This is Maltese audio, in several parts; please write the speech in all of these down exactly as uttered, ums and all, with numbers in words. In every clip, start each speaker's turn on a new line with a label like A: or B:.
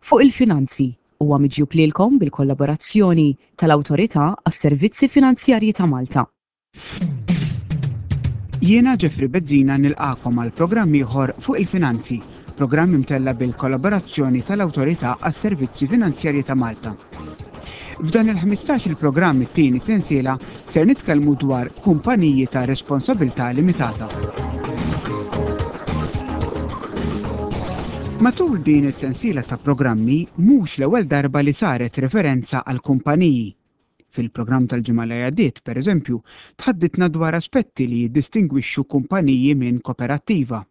A: Fuq il-Finanzi huwa miġjub lilkom bil-kollaborazzjoni tal-Awtorità għas-Servizzi Finanzjarji ta' Malta.
B: Jiena Jeffrey Bezzina nilqagħkom għal programm ieħor Fuq il-Finanzi, programm imtella bil-kollaborazzjoni tal-Awtorità għas-Servizzi Finanzjarji ta' Malta. F'dan il-ħmistax il-programm, it-tieni sensiela, ser nitkellmu dwar kumpaniji ta' responsabilità limitata. Matul din is-sensiela ta' programmi mhux l-ewwel darba li saret referenza għal kumpaniji. Fil-programm tal-ġimgħa li għaddiet, pereżempju, tħadditna dwar aspetti li jiddistingwixxu kumpaniji minn koperattiva.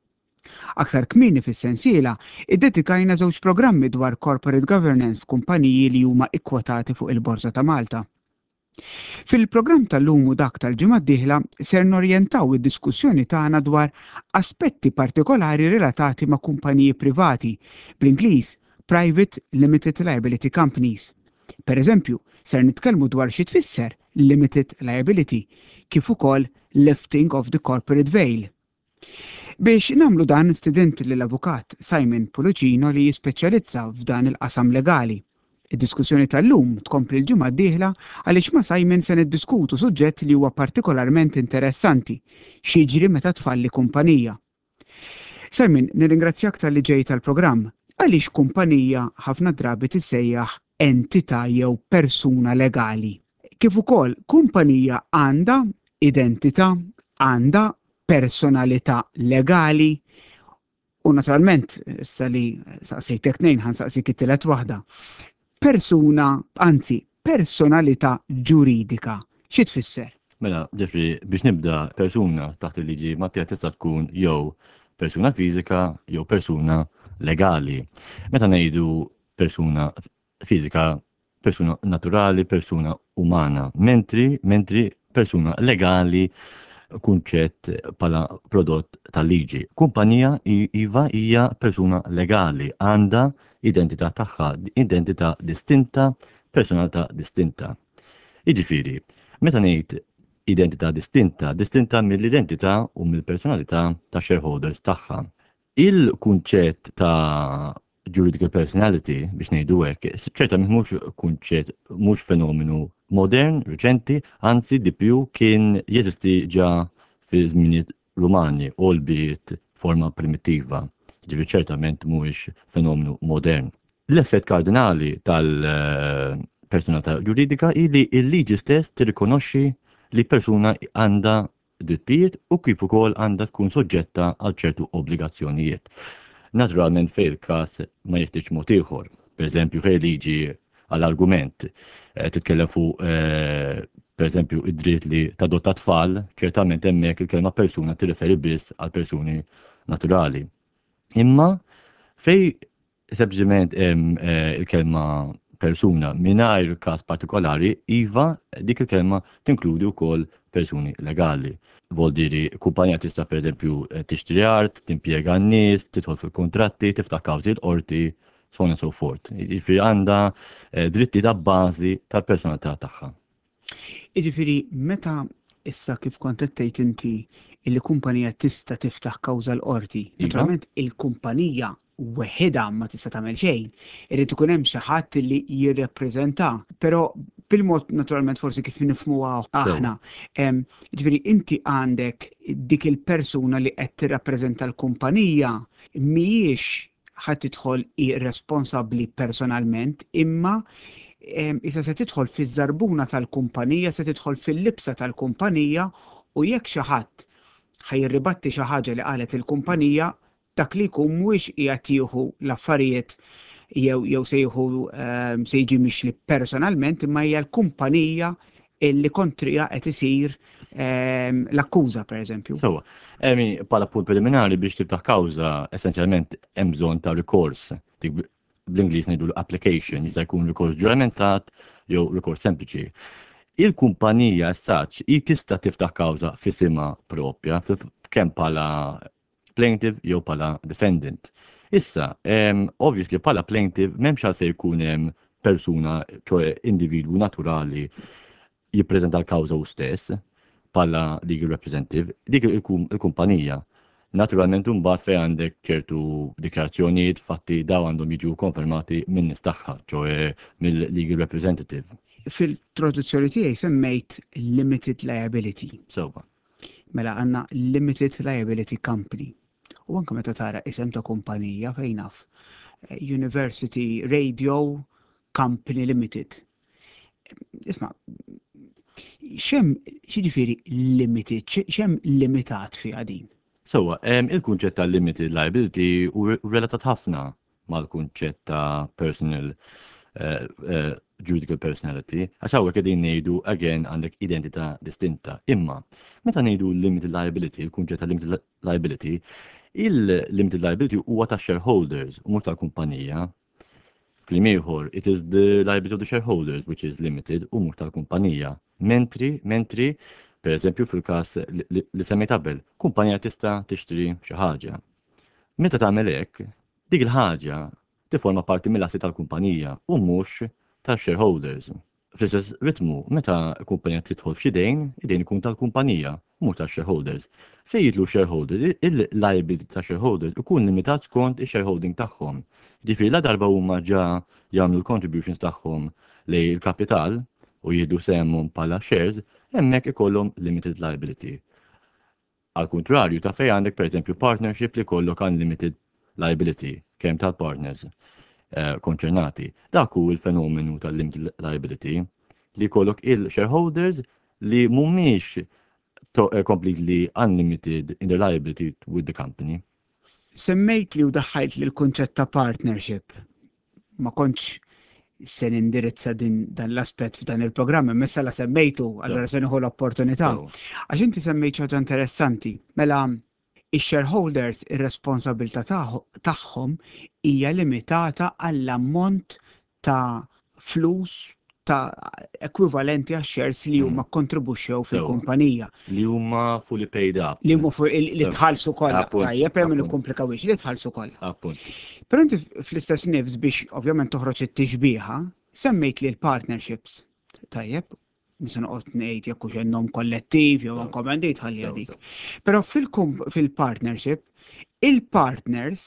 B: Aktar kmieni fis-sensiela, iddedikajna żewġ programmi dwar corporate governance f'kumpaniji li huma ikkwotati fuq il-Borża ta' Malta. Fil-programm tal-lum u dak tal-ġimgħa d-dieħla ser norjentaw id-diskussjoni tagħna dwar aspetti partikolari relatati ma' kumpaniji privati, bl-Ingliż Private Limited Liability Companies. Per eżempju, ser nitkellmu dwar xi tfisser limited liability, kif ukoll lifting of the corporate veil. Biex nagħmlu dan, stedint lill-avukat Simon Pullicino li jispeċjalizza f'dan il-qasam legali. Id-diskussjoni tal-lum tkompli l-ġimgħa d-dieħla għaliex ma' Simon se niddiskutu suġġett li huwa partikolarment interessanti: x'jiġri meta tfalli kumpanija. Simon, nirringrazzjak talli ġejt tal-programm. Għaliex kumpanija ħafna drabi tissejjaħ entità jew persuna legali? Kif ukoll, kumpanija għandha identità, għandha personalità legali? U naturalment, issa li saqsejtek tnejn, ħa nsaqsik it-tielet waħda. Persuna, anzi, personalità ġuridika. Xi tfisser?
C: Mela, Jeffrey, biex nibda, persuna taħt il-liġi Maltija tista' tkun jew persuna fiżika jew persuna legali. Meta ngħidu persuna fiżika, persuna naturali, persuna umana, mentri, mentri persuna legali kunċett bħala prodott tal-liġi. Kumpanija, iva, hija persuna legali, għandha identità tagħha, identità distinta, personalità distinta. Jiġifieri, meta ngħid identità distinta, distinta mill-identità u mill-personalità ta' shareholders tagħha. Il-kunċett ta' juridical personality, biex ngħidu hekk, ċertament mhux kunċett, mhux fenomenu modern, reċenti, anzi di più kien jeżisti ġa fi żminijiet Rumani, albeit forma primittiva. Ġifieri ċertament mhuwiex fenomenu modern. L-effett kardinali tal-personalità ġuridika hi li l-liġi stess tirrikonoxxi li persuna għandha drittijiet u kif ukoll għandha tkun soġġetta għal ċertu obbligazzjonijiet. Naturalment fejn il-każ ma jeħtieġ mod ieħor. Per eżempju, fejn liġi għall-argument eh, titkellem fuq eh, per eżempju id-dritt li tadotta tfal, ċertament hemmhekk il-kelma persuna tirreferi biss għal persuni naturali. Imma fejn sempliċement hemm eh, il-kelma persuna mingħajr każ partikolari, iva, dik il-kelma tinkludi wkoll persuni legali. Voldiri, kumpanija tista' per eżempju tixtri art, timpjega n-nies, tidħol fil-kontratti, tiftaħ kawżi l-qorti, so on and so forth. Jiġifieri għandha eh, dritti ta' bażi tal-personalità tagħha.
B: Jiġifieri, meta issa kif kont qed tgħid inti illi kumpanija tista' tiftaħ kawża l-qorti,
C: Iva.
B: naturalment il-kumpanija weħidha ma tista' tagħmel xejn. Irid ikun hemm xi ħadd li jirrepreżenta, però bil-mod naturalment forsi kif nifhmuha aħna. Em, Ġifieri inti għandek dik il-persuna li qed tirrappreżenta l-kumpanija mhijiex ħadd tidħol irresponsabbli personalment, imma em, issa se tidħol fiż-żarbuna tal-kumpanija, se tidħol fil-libsa tal-kumpanija u jekk xi ħadd ħa jirribatti xi ħaġa li qalet il-kumpanija, dak li jkun mhuwiex qiegħed jieħu l-affarijiet jew jew se jieħu ehm, se jiġi mixli personalment, imma hija l-kumpanija illi kontrija qed isir ehm, l-akkuża, pereżempju.
C: Sewwa, emi, bħala punt preliminari, biex tiftaħ kawża essenzjalment hemm bżonn ta' rikors. Dik bl-Ingliż ngħidu application, jista' jkun rikors ġuramentat jew rikors sempliċi. Il-kumpanija as such hi tista' tiftaħ kawża f'isimha propja, kemm bħala plaintiff jew bħala defendant. Issa, um, obviously bħala plaintiff m'hemmx għalfejn jkun hemm persuna, ċoè individwu naturali jippreżenta l-kawża hu stess bħala legal representative, dik il-kumpanija. Naturalment, mbagħad fejn għandek ċertu dikjarazzjonijiet, fatti, daw għandhom jiġu konfermati minn nies tagħha, ċoè mill-legal representative.
B: Fil-traduzzjoni tiegħi semmejt limited liability.
C: Sewwa.
B: Mela għandna limited liability company. U anke meta tara isem ta' kumpanija, fejn naf, eh, University Radio Company Limited. Isma', x'hemm, x'jiġifieri limited, x'hemm limitat fiha din?
C: Sewwa, il-kunċett ta' limited liability hu relatat ħafna mal-kunċett ta' personal uh, uh, juridical personality, għax hawnhekk qegħdin ngħidu again għandek identità distinta. Imma meta ngħidu limited liability, il-kunċett ta' limited liability, il-limited liability huwa ta' shareholders u mhux tal-kumpanija. Kliem ieħor, it is the liability of the shareholders which is limited u mhux tal-kumpanija. Mentri, mentri, per eżempju, fil-każ li semmejt qabel, kumpanija tista' tixtri xi ħaġa. Meta tagħmel hekk, dik il-ħaġa tiforma parti mill-assi tal-kumpanija u mhux tal-shareholders. Fl-istess ritmu, meta kumpanija tidħol f'xi dejn, id-dejn ikun tal-kumpanija, mhux tal-shareholders. Fejn jidħlu shareholders, il-liability ta' shareholders ikun limitat skont il-shareholding tagħhom. Ġifieri la darba huma ġa jagħmlu l-contributions tagħhom lejn il-kapital u jieħdu sehemhom bħala shares, hemmhekk ikollhom limited liability. Al kontrarju ta' fejn għandek, per eżempju, partnership li jkollok unlimited liability kemm tal-partners eh, konċernati. Dak hu il-fenomenu tal-limited liability, li jkollok il-shareholders li mhumiex eh, completely unlimited in their liability with the company.
B: Semmejt li u daħħajt li l-kunċett ta' partnership. Ma kontx se nindirizza din dan l-aspett f'dan il-programm, imma la semmejtu, allora se nieħu l-opportunità. Għax inti semmejt ħaġa interessanti. Mela, ix-shareholders, ir-responsabilità tagħhom hija limitata għall-ammont ta' flus ta' ekwivalenti għax shares li huma mm. kontribuxxew fil-kumpanija.
C: Li huma fully paid up.
B: Li huma li tħallsu kollha. Tajjeb, hemm nikkomplikawx, li tħallsu kollha. Però inti fl-istess nifs, biex ovvjament toħroġ it-tixbiħa, semmejt li l-partnerships. Tajjeb, mhux se noqgħod ngħid jekk hux nom kollettiv jew uncommanded, ħalli dik. Però fil-partnership, il-partners,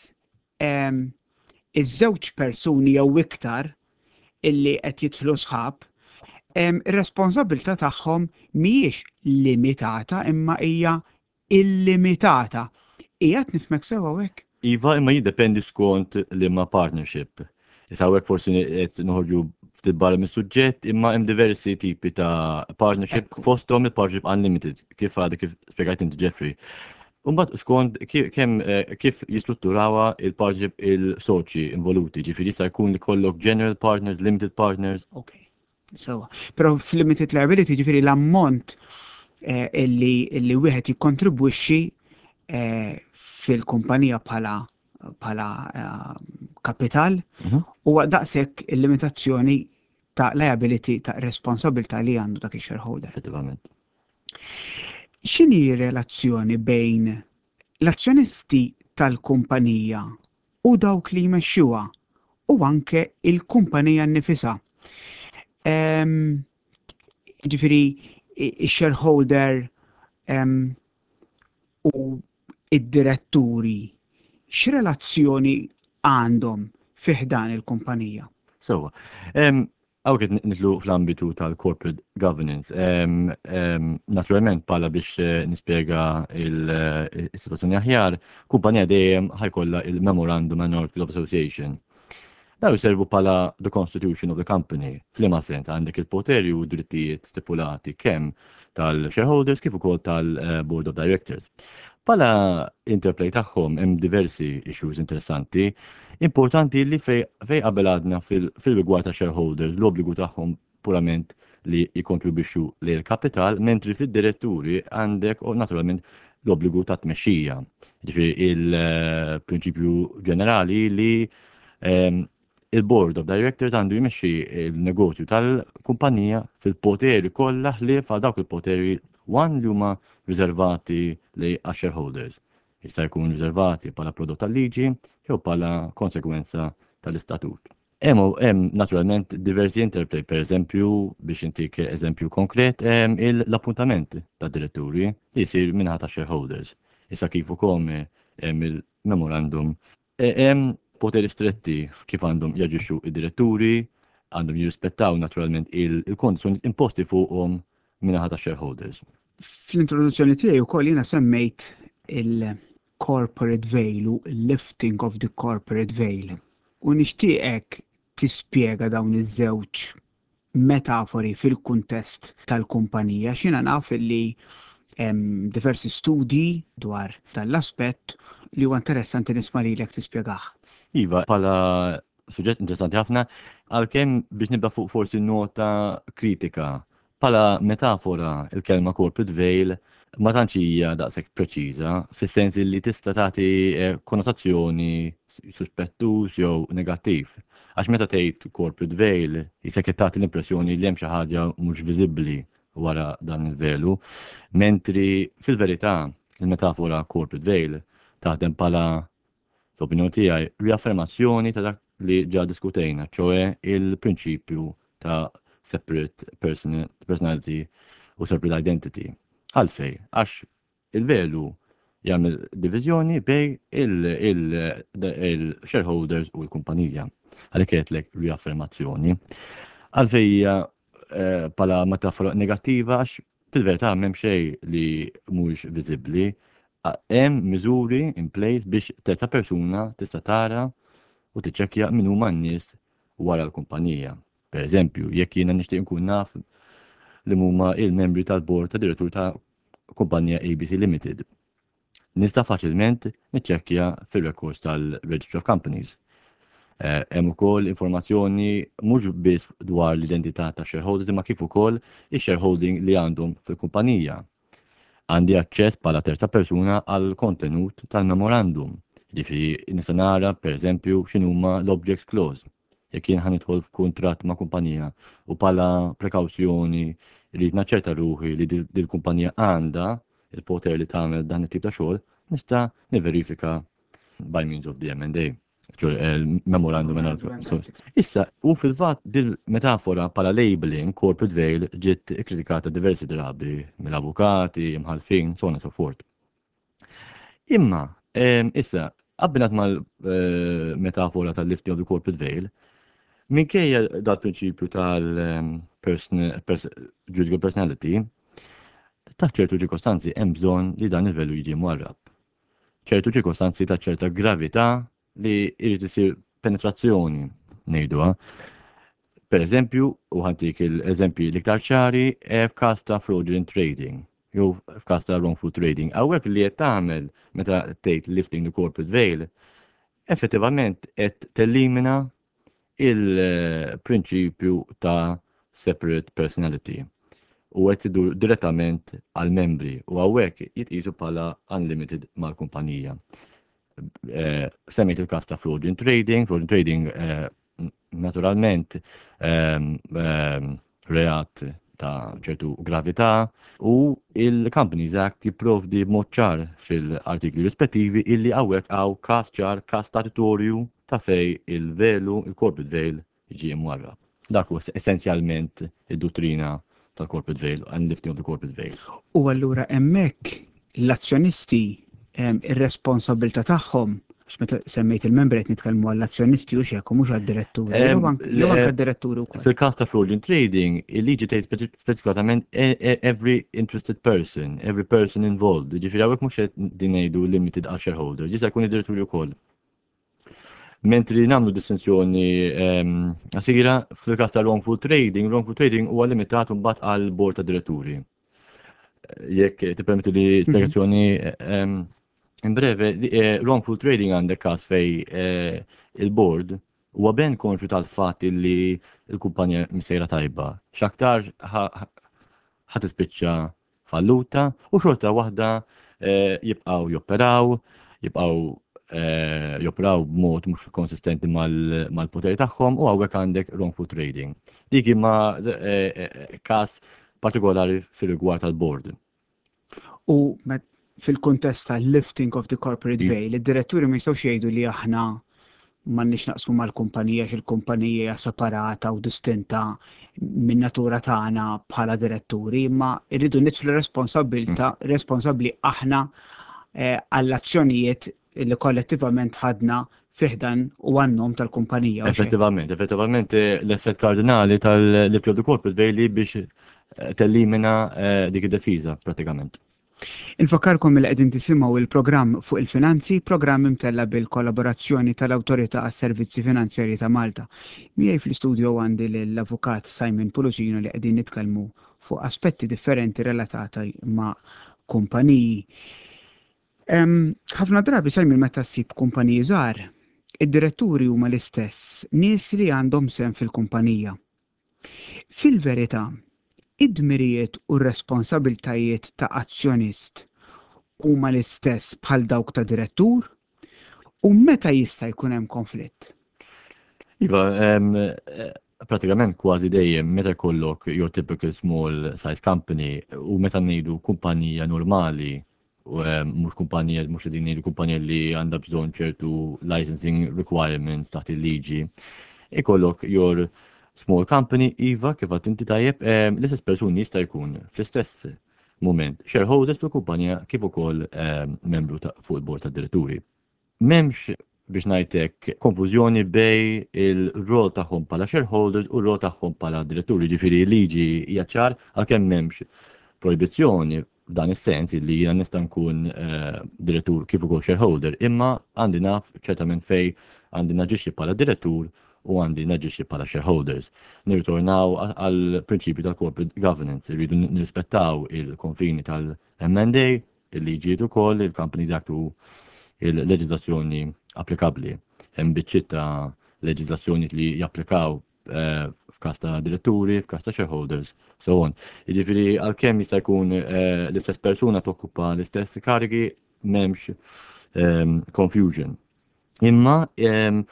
B: iż-żewġ persuni jew iktar illi qed jidħlu sħab, ir-responsabilità tagħhom mhijiex limitata imma hija illimitata. Qiegħed nifhmek sew hawnhekk?
C: Iva, imma jiddependi skont liema partnership. Issa hawnhekk forsi qed noħorġu ftit barra mis-suġġett, imma hemm diversi tipi ta' partnership, fosthom il-partnership unlimited, kif għadek kif spjegajt inti, Jeffrey. Umbagħad skont kemm eh, kif jistrutturawha il-partnership il-soċi involuti, ġifieri jista' jkun li jkollok general partners, limited partners.
B: Ok. So, però f'limited liability, ġifieri l-ammont eh, illi illi wieħed jikkontribwixxi eh, fil-kumpanija bħala bħala kapital mhm. huwa daqshekk il-limitazzjoni ta' liability, ta' responsabilità li għandu dak il-shareholder.
C: Effettivament.
B: X'inhi relazzjoni bejn l-azzjonisti tal-kumpanija u dawk li jmexxuha u anke il-kumpanija nnifisha? Ġifieri, il-shareholder u id-diretturi, x'relazzjoni għandhom fi ħdan il-kumpanija?
C: So, hawn qed nidħlu fl-ambitu tal-corporate governance. Naturalment, pala biex eh, nispjega il-situazzjoni aħjar, kumpanija dejjem ħa jkollha il-Memorandum and Article of Association. Daw jservu pala the constitution of the company. F'liema sens? Għandek il-poteri u drittijiet stipulati kemm tal-shareholders kif ukoll tal-board of directors. Pala interplay tagħhom hemm diversi issues interessanti. Importanti li fej qabel għadna fil-rigward ta' shareholders l-obbligu tagħhom purament li jikontribwixxu lejn il-kapital, mentri fid-diretturi għandek u naturalment l-obbligu ta' tmexxija. Ġifieri il-prinċipju ġenerali li ehm, il-board of directors għandu jmexxi il-negozju tal-kumpanija fil-poteri kollha ħlief għal dawk il-poteri one li huma riservati li shareholders. Jista' jkun riservati bħala prodott tal-liġi jew bħala konsekwenza tal-istatut. Hemm hemm naturalment diversi interplay, per eżempju, biex intik eżempju konkret, l-appuntament ta' diretturi li jsir min-naħa ta' shareholders. Issa kif ukoll Hemm il-memorandum. E, hemm poteri stretti kif għandhom jaġixxu id-diretturi, għandhom jirrispettaw naturalment il-kondizzjoni imposti fuqhom min-naħa ta' shareholders.
B: Fl-introduzzjoni tiegħi wkoll jiena semmejt il-corporate veil u lifting of the corporate veil. U nixtieqek tispjega dawn iż-żewġ metafori fil-kuntest tal-kumpanija. Jiena naf li hemm diversi studji dwar dan l-aspett li huwa interessanti nisma' lilek tispjegah.
C: Iva, bħala suġġett interessanti ħafna, għalkemm biex nibda fuq forsi nota kritika. Bħala metafora, il-kelma corporate veil ma tantx hija daqshekk preċiża, fis-sens li tista' tagħti eh, konnotazzjoni suspettuż jew negattiv. Għax meta tgħid corporate veil, jisek tagħti l-impressjoni li hemm xi ħaġa mhux viżibbli wara dan il-velu, mentri fil-verità il-metafora corporate veil taħdem bħala, fl-opinjoni tiegħi, riaffermazzjoni ta' dak li ġa diskutejna, ċoè il-prinċipju ta' separate personality u separate identity. Għalfej? Għax il-velu jagħmel diviżjoni bejn il-shareholders u l-kumpanija. Għalhekk għedtlek riaffermazzjoni. Għalfej hija eh, bħala metafora negattiva? Għax fil-verità m'hemm xejn li mhuwiex viżibbli. Hemm miżuri in place biex terza persuna tista' tara u tiċċekkja min huma n-nies wara l-kumpanija. Per eżempju, jekk jiena nixtieq nkun naf li huma il-membri tal-bord ta' direttur ta' kumpanija A B C Limited, nista' faċilment niċċekkja fil-records tal-Registry of Companies. Eh, hemm ukoll informazzjoni mhux biss dwar l-identità ta' shareholders imma kif ukoll ix-shareholding li għandhom fil-kumpanija. Għandi aċċess bħala terza persuna għal kontenut tal-memorandum. Ġifieri nista' nara, pereżempju, x'inhuma l-objects clause. Jekk jien ħa nidħol f'kuntratt ma' kumpanija u bħala prekawzjoni rrid naċċerta ruħi li dil-kumpanija għandha il-poter li tagħmel dan it-tip ta' xogħol, nista' niverifika by means of the M and A. Memorandum. Issa, u fil-fatt dil-metafora bħala labeling, corporate veil, ġiet kritikata diversi drabi mill-avukati, imħalfin, so on and so forth. Imma, issa, abbinat mal-metafora tal-lifting of the corporate veil, minkejja dal-prinċipju tal-juridical personality, ta' ċertu ċirkostanzi hemm bżonn li dan il-velu jiġi mwarrab. Ċertu ċirkostanzi ta' ċerta gravità li jrid isir penetrazzjoni, ngħiduha. Per eżempju, u ħa ntik l-eżempji l-iktar ċari, f'każ ta' fraudulent trading jew f'każ ta' wrongful trading. Hawnhekk li qed tagħmel meta tgħid lifting the corporate veil, effettivament qed tellimina il-prinċipju ta' separate personality u qed idur direttament għal membri u hawnhekk jitqisu bħala unlimited mal-kumpanija. Eh, semmejt il-każ ta' fraudulent trading, fraudulent trading eh, naturalment ehm, ehm, reat ta' ċertu gravità u il-Companies Act jipprovdi b'mod ċar fil-artikli rispettivi illi hawnhekk hawn każ ċar, każ statutorju ta' fej il-velu, il-corporate veil jiġi mwarrab. Dak huwa essenzjalment id-dottrina tal-corporate veil and lifting of the corporate veil.
B: U allura hemmhekk l-azzjonisti, ir-responsabilità tagħhom, għax meta semmejt il-membri qed nitkellmu għall-azzjonisti u xek, mhux għad-diretturi, jew anke għad-diretturi wkoll.
C: Fil-każ ta' fraudulent trading, il-liġi tgħid speċifikatament e, e, every interested person, every person involved. Ġifieri hawnhekk mhux qed din ngħidu limited għal shareholder, jista' jkun id-diretturi wkoll. Mentri nagħmlu distinzjoni qasira fil-każ ta' wrongful trading, wrongful trading huwa limitat mbagħad għal board ta' diretturi. Jekk tippermetti li spjegazzjoni in breve, eh, wrongful trading, għandek każ fej eh, il-board huwa ben konxju tal-fatt li l-kumpanija msejra tajba. X'aktar ħa tispiċċa falluta u xorta waħda eh, jibqgħu joperaw, jibqgħu joperaw b'mod mhux konsistenti mal-poteri tagħhom u hawnhekk għandek wrongful trading. Dik imma każ partikolari fil-rigward tal-board.
B: U fil-kontest ta' lifting of the corporate veil, id-diretturi ma jistgħux jgħidu li aħna m'għandniex naqsmu mal-kumpanija, x'il-kumpanija hija separata u distinta minn natura tagħna bħala diretturi, imma rridu nidħlu responsabilità mm. responsabbli aħna eh, għall-azzjonijiet Illi kollettivament ħadna fi ħdan u għan-nom tal-kumpanija.
C: Effettivament, effettivament eh, l-effett kardinali tal-lifting of the corporate veil biex eh, tellimina eh, dik id-defiża pratikament.
B: Infakkarkom li qegħdin tisimgħu il-programm Fuq il-Finanzi, programm imtella bil-kollaborazzjoni tal-Awtorità għas-Servizzi Finanzjarji ta' Malta. Miegħi fl-istudio għandi l-Avukat Simon Pullicino li qegħdin nitkellmu fuq aspetti differenti relatati ma' kumpaniji. Ħafna drabi, Simon, meta ssib kumpaniji żgħar, id-diretturi huma l-istess nies li għandhom sehem fil-kumpanija. Fil-verità, id-dmirijiet u r-responsabiltajiet ta' azzjonist huma l-istess bħal dawk ta' direttur u meta jista' jkun hemm konflitt?
C: Iva, eh, pratikament kważi dejjem meta jkollok your typical small size company u meta ngħidu kumpanija normali u mhux kumpanija, mhux qegħdin ngħidu kumpanija li għandha bżonn ċertu licensing requirements taħt il-liġi. Ikollok your small company, iva, kif għedt inti tajjeb, l-istess persuni jista' jkun fl-istess moment shareholders fil-kumpanija kif ukoll membru fuq il-bord tad-diretturi. M'hemmx, biex ngħidlek, konfużjoni bejn il-rol tagħhom bħala shareholders u r-rol tagħhom bħala diretturi. Ġifieri liġi hija ċar, għalkemm m'hemmx proibizzjoni f'dan is-sens li jiena nista' nkun eh, direttur kif ukoll shareholder, imma għandi naf ċertament fej għandi naġixxi bħala direttur u għandi naġixxi bħala shareholders. Nirritornaw għal prinċipju tal-corporate governance, irridu nirrispettaw il-konfini tal-M and A, il-liġijiet ukoll, il-Companies Act u il-leġiżlazzjoni applikabbli. Hemm biċċiet ta' leġiżlazzjoni li japplikaw eh, f'każ ta' diretturi, f'każ ta' shareholders, so on. Jiġifieri għalkemm jista' jkun eh, l-istess persuna tokkupa l-istess karigi, m'hemmx ehm, confusion. Imma ehm,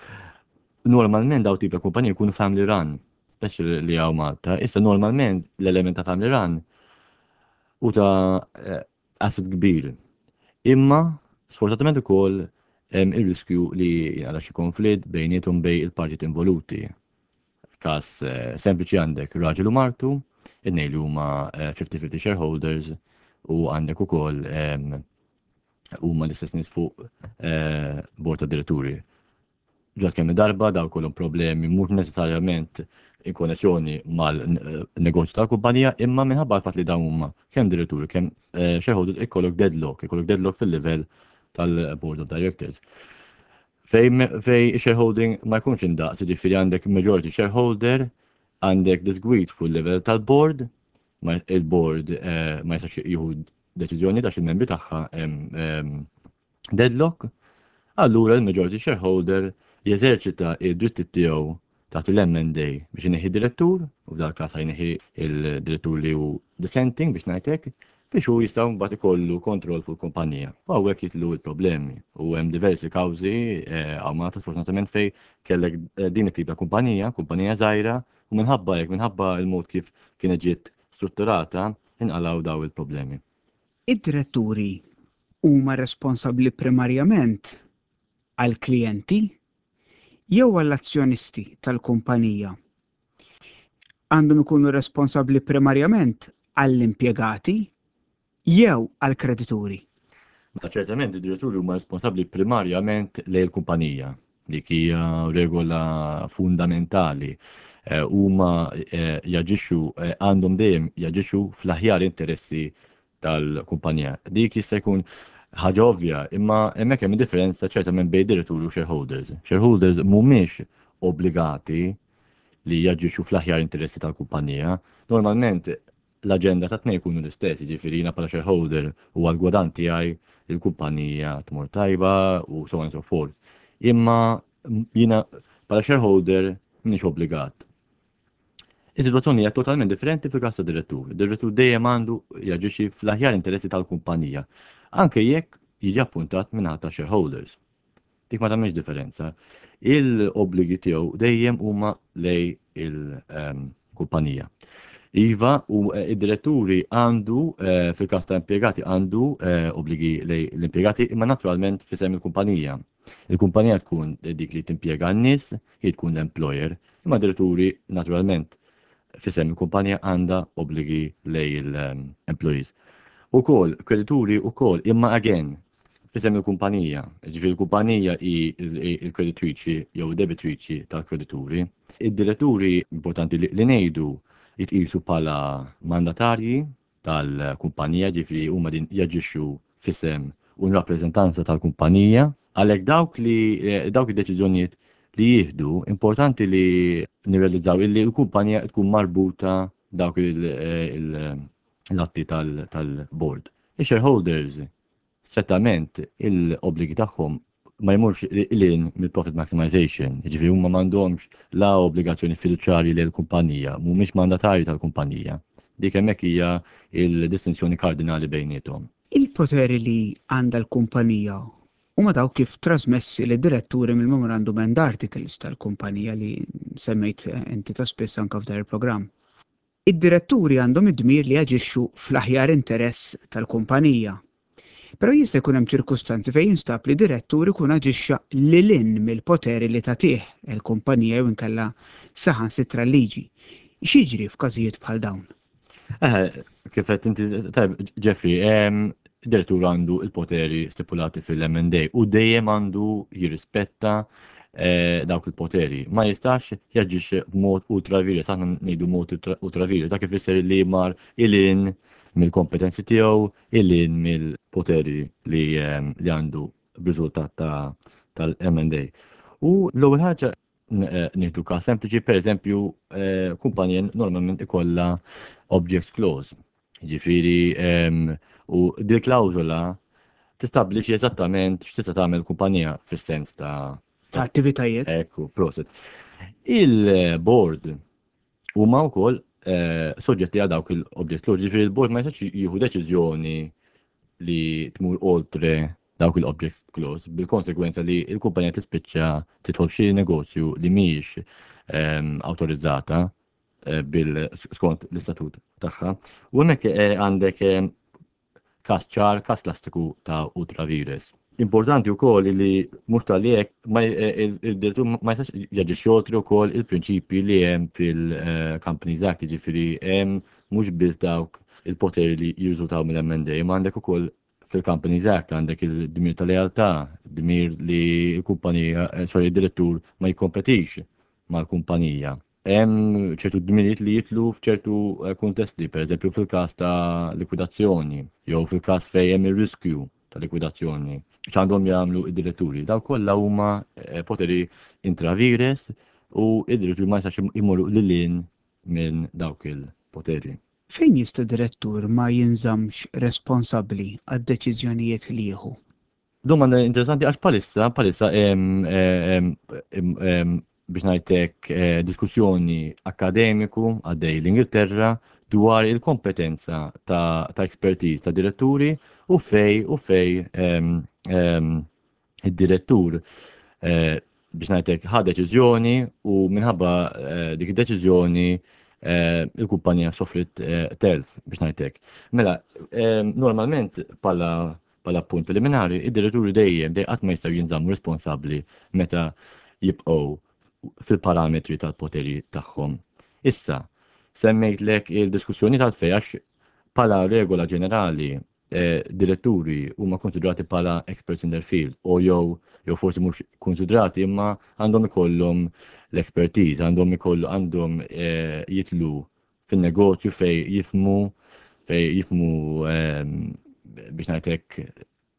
C: normalment daw tip ta' kumpaniji jkunu family run, speċi li hawn Malta. Issa normalment l-element ta' family run u ta' eh, asset kbir. Imma sfortunatament ukoll hemm ir-riskju li għala xi konflitt bejniethom, bejn il-partit involuti. Każ eh, sempliċi, għandek raġel u martu, it-tnejn li huma fifty fifty shareholders u għandek ukoll huma l-istess nies fuq eh, bord ta' diretturi. Ġat kemm darba daw kollhom problemi mhux neċessarjament in konnessjoni mal-negozju tal-kumpanija, imma minħabba l-fatt li dawn huma kemm diretturi kemm eh, shareholders, ikollok deadlock, ikollok deadlock fil-livell tal-board of directors. Fej, fej shareholding ma jkunx indaqs, ġifieri għandek majority shareholder, għandek disgwid fuq il-level tal-board, il-board eh, ma jistax jieħu deċiżjoni ta' il-membri tagħha deadlock, allura il-majority shareholder jeżerċita id-dritti tiegħu taħt il-M and A biex ineħħi direttur, u f'dal każ jneħħi il-direttur li hu dissenting, biex ngħidlek, biex hu jista' mbagħad ikollu kontroll fuq il-kumpanija. U hawnhekk jidħlu l-problemi. U hemm diversi kawżi eh, hawn Malta sfortunatament fej kellek eh, din it-tip ta' kumpanija, kumpanija żgħira, u minħabba hekk, minħabba il-mod kif kienet ġiet strutturata, inqalgħu daw il-problemi.
B: Id-diretturi huma responsabbli primarjament għal-klijenti jew għall-azzjonisti tal-kumpanija? Għandhom ikunu responsabbli primarjament għall-impjegati jew għall-kredituri?
C: Ma ċertament id-diretturi huma responsabbli primarjament lejn il-kumpanija. Dik hija regola fundamentali. Eh, huma eh, jaġixxu, eh, għandhom dejjem jaġixxu fl-aħjar interessi tal-kumpanija. Dik jista' jkun ħaġa ovvja, imma hemmhekk hemm differenza ċertament bejn diretturi u shareholders. Shareholders mhumiex obbligati li jaġixxu fl-aħjar interessi tal-kumpanija. Normalment l-aġenda ta' tnejn jkunu l-istess, jiġifieri jiena bħala shareholder u għal-gwadann tiegħi il-kumpanija tmur tajba u so on and so forth. Imma jiena bħala shareholder m'iniex obbligat. Is-sitwazzjoni hija totalment differenti fil-każ ta' direttur. Direttur dejjem għandu jaġixxi fl-aħjar interessi tal-kumpanija, anke jekk jiġi appuntat minn ta' shareholders. Dik ma tagħmilx differenza. Il-obbligi tiegħu dejjem huma lejn il-kumpanija. Iva, u eh, id-diretturi għandu, eh, fil-każ ta' impjegati, għandu eh, obbligi lejn l-impjegati, imma naturalment f'isem il-kumpanija. Il-kumpanija tkun dik li timpjega n-nies, hi tkun l-employer, imma diretturi naturalment f'isem il-kumpanija għandha obbligi lejn l-employees. Ukoll, kredituri ukoll, imma again, f'isem il-kumpanija. Ġifieri l-kumpanija hi il-kreditriċi jew debitriċi tal-kredituri. Id-diretturi, importanti li ngħidu, jitqisu bħala mandatarji tal-kumpanija, ġifieri huma din jaġixxu f'isem u rappreżentanza tal-kumpanija. Għalhekk dawk li dawk id-deċiżjonijiet li jieħdu, importanti li nirrealizzaw illi l-kumpanija tkun marbuta dawk l-atti tal-board. Il-shareholders, strettament, il-obbligi tagħhom ma jmurx lil hinn mill-profit maximization, ġifieri huma m'għandhomx la obbligazzjoni fiduċjarji lil kumpanija, mhumiex mandatarji tal-kumpanija. Dik hemmhekk hija il-distinzjoni kardinali bejniethom.
B: Il-poteri li għandha l-kumpanija huma dawk kif trasmessi lid-diretturi mill-Memorandum and Articles tal-kumpanija li semmejt inti ta' spiss anka f'dan il-programm. Id-diretturi għandhom id-dmir li jaġixxu fl-aħjar interess tal-kumpanija. Però jista' jkun hemm ċirkustanzi fejn jinstab li direttur ikun aġixxa lil hinn mill-poteri li tagħtih il-kumpanija jew inkella saħansitra l-liġi. X'jiġri f'każijiet bħal dawn?
C: Eh, kif qed inti tajb, Jeffrey, direttur għandu il-poteri stipulati fil-M and A u dejjem għandu jirrispetta eh, dawk il-poteri. Ma jistax jaġixxi b'mod ultra vires, aħna ngħidu mod ultra vires, dak ifisser li mar lil hinn mill-kompetenzi tiegħu, lil hinn mill-poteri li li għandu b'riżultat tal-M and A. U l-ewwel ħaġa, eh, nieħdu każ sempliċi, per eżempju, eh, kumpanija normalment ikollha object clause. Ġifieri, u dil klawżola tistabbilixxi eżattament x'tista' tagħmel kumpanija fis-sens ta'
B: ta' attivitajiet.
C: Ekku, prosit. Il-board huma wkoll eh, soġġetti għal dawk il-object clause, ġifieri il-board ma jistax jieħu deċiżjoni li tmur oltre dawk il-object clause, bil-konsekwenza li il-kumpanija tispiċċa tidħol xi negozju li mhijiex ehm, awtorizzata eh, bil skont l-istatut tagħha. U hemmhekk eh, għandek każ ċar, każ klassiku ta' ultra vires. Importanti wkoll li mhux tal hekk il-direttur ma jistax jaġixxi oltre wkoll il-prinċipji li hemm fil-Companies Act, jiġifieri hemm mhux biss dawk il-poteri li jirriżultaw mill-M and A, ma għandek ukoll fil-Companies Act għandek il-dmir ta' lealtà, dmir li l-kumpanija, eh, sorry, il-direttur ma jikkompetix mal-kumpanija. Hemm ċertu dmirijiet li jidħlu f'ċertu eh, kuntesti, per eżempju fil-każ ta' likwidazzjoni, jew fil-każ fejn hemm ir-riskju ta' likwidazzjoni. X'għandhom jagħmlu id-diretturi? Daw kollha huma eh, poteri intra vires u id-diretturi ma jistax imorru lil hinn minn dawk il-poteri.
B: Fejn jista' direttur ma jinżamx responsabbli għad-deċiżjonijiet li jieħu?
C: Domanda interessanti għax bħalissa, bħalissa biex ngħidlek eh, diskussjoni akademiku għaddej l-Ingilterra dwar il-kompetenza ta', ta expertise ta' diretturi u fej u fej id-direttur eh, biex ngħidlek ħa deċiżjoni u minħabba eh, dik id-deċiżjoni il-kumpanija sofrit telf, biex ngħidlek. Mela, normalment bħala bħala punt preliminari, id-diretturi dejjem dejjem qatt ma jistgħu jinżammu responsabbli meta jibqgħu fil-parametri tal-poteri tagħhom. Issa, semmejtlek il-diskussjoni tal-fej għax bħala regola ġenerali eh, diretturi huma konsidrati bħala experts in their field u jew jew forsi mhux konsidrati, imma għandhom ikollhom l-expertise, għandhom ikollu għandhom eh, jidħlu fin-negozju fej jifhmu fej jifhmu eh, biex ngħidlek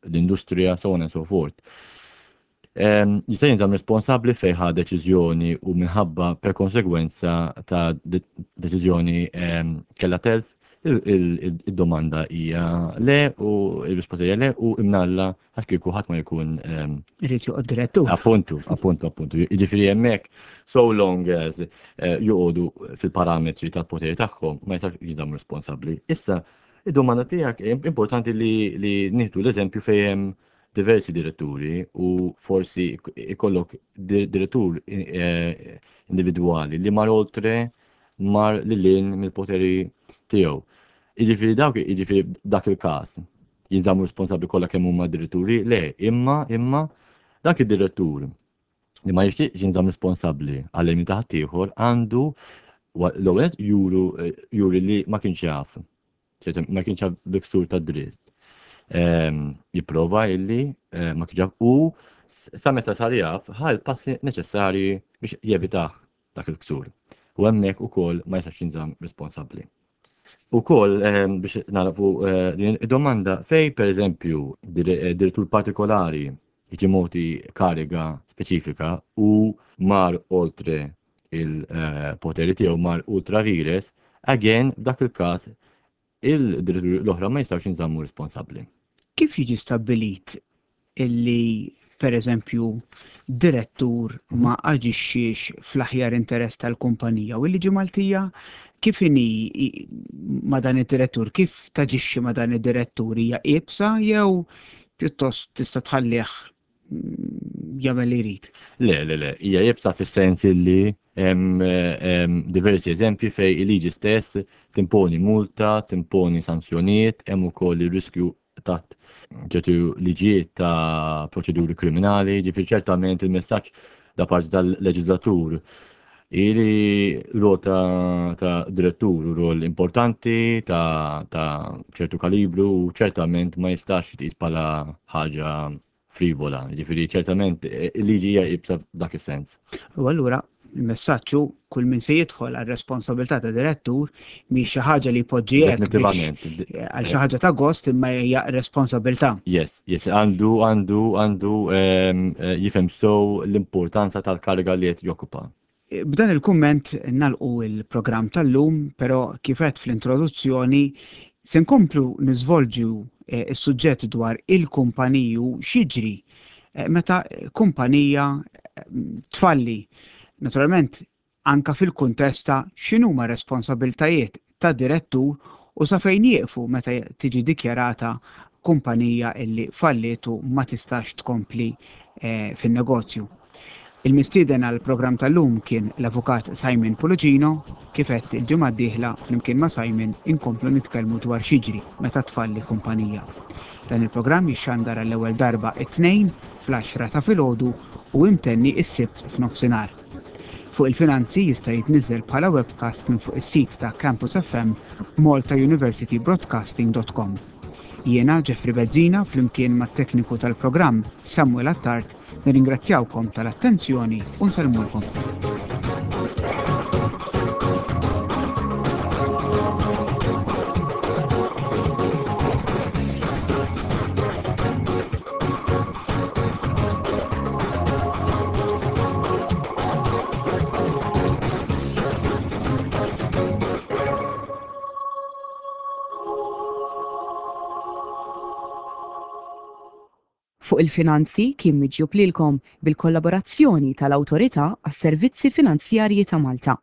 C: l-industrija, so on and so forth. Jista' jinżamm responsabbli fej ħa deċiżjoni u minħabba per konsegwenza ta' deċiżjoni kella telf? Il-domanda hija le u il-risposta hija le, u imnalla, għax kieku ħadd ma jkun
B: Irid joqgħod direttur.
C: Appuntu, appuntu, appuntu. Jiġifieri hemmhekk so long as eh, joqogħdu fil-parametri tal-poteri tagħhom, ma jistax jinżammu responsabbli. Issa, id-domanda tiegħek, importanti li li nieħdu l-eżempju fejn hemm diversi diretturi u forsi ikollok direttur eh, individwali li mar oltre, mar lil hinn mill-poteri tiegħu. Jiġifieri dawk, jiġifieri dak il-każ jinżammu responsabbli kollha kemm huma diretturi? Le, imma imma dak id-direttur li ma jixtieqx jinżamm responsabbli għal ta' ħaddieħor għandu l-ewwel juru juri li ma kienx jaf, ma kienx jaf bi ksur ta' dritt. ehm, jipprova illi eh, ma kienx jaf u sa meta sar jaf ħa l-passi neċessarji biex jevita dak il-ksur. U hemmhekk ukoll ma jistax jinżamm responsabbli. Ukoll ehm, biex nagħlqu eh, din id-domanda fej pereżempju eh, direttur partikolari jiġi mogħti kariga speċifika u mar oltre il-poteri tiegħu, mar ultra vires, again f'dak il-każ il-diretturi l-oħra ma jistgħux jinżammu responsabbli.
B: Kif jiġi stabbilit illi per eżempju direttur ma aġixxiex fl-aħjar interess tal-kumpanija u l-liġi Maltija kif inhi ma' dan id-direttur, kif taġixxi ma' dan id-direttur, hija iebsa jew pjuttost tista' tħallih mm, jagħmel li jrid?
C: Le, le, le, hija iebsa fis-sens illi hemm hemm diversi eżempji fej il-liġi stess timponi multa, timponi sanzjonijiet, hemm ukoll ir-riskju taħt ċertu liġijiet ta' proċeduri kriminali, ġifieri ċertament il-messaġġ da parti tal-leġislatur ili rol ta', ta direttur u rol importanti ta', ta' ċertu kalibru u ċertament ma jistax jitqis bħala ħaġa frivola, ġifieri ċertament eh, il-liġi hija iebsa f'dak is-sens.
B: U allura il-messaġġ hu kull min se jidħol għal responsabilità ta' direttur mhix xi ħaġa li jpoġġi hekk biex-
C: Definitivament.
B: għal xi ħaġa ta' gost, imma hija responsabilità.
C: Yes, yes, għandu, għandu, għandu ehm, eh, jifhem sew l-importanza tal-kariga li qed jokkupa.
B: B'dan il-kumment nagħlqu il-programm tal-lum, però kif għedt fl-introduzzjoni se nkomplu niżvolġu eh, is-suġġett dwar il-kumpaniji u x'jiġri eh, meta kumpanija eh, tfalli. Naturalment, anka fil-kuntest ta' x'inhuma responsabiltajiet ta' direttur u sa fejn jieqfu meta tiġi dikjarata kumpanija illi falliet u ma tistax tkompli eh, fin-negozju. Il-mistieden għal programm tal-lum kien l-avukat Simon Pullicino. Kif għedt, il-ġimgħa d-dieħla flimkien ma' Simon inkomplu nitkellmu dwar x'jiġri meta tfalli kumpanija. Dan il-programm jixxandar għall-ewwel darba it-Tnejn fl-għaxra ta' filgħodu u imtenni is-Sibt f'nofsinhar. Fuq il-Finanzi jista' jitniżel bħala webcast minn fuq is-sit ta' Campus F M maltauniversitybroadcasting dot com. Jiena Jeffrey Bezzina flimkien mat-tekniku tal-programm Samuel Attard nirringrazzjawkom tal-attenzjoni u nsellmulkom.
A: Fuq il-Finanzi kien miġjub lilkom bil-kollaborazzjoni tal-Awtorità għas-Servizzi Finanzjarji ta' Malta.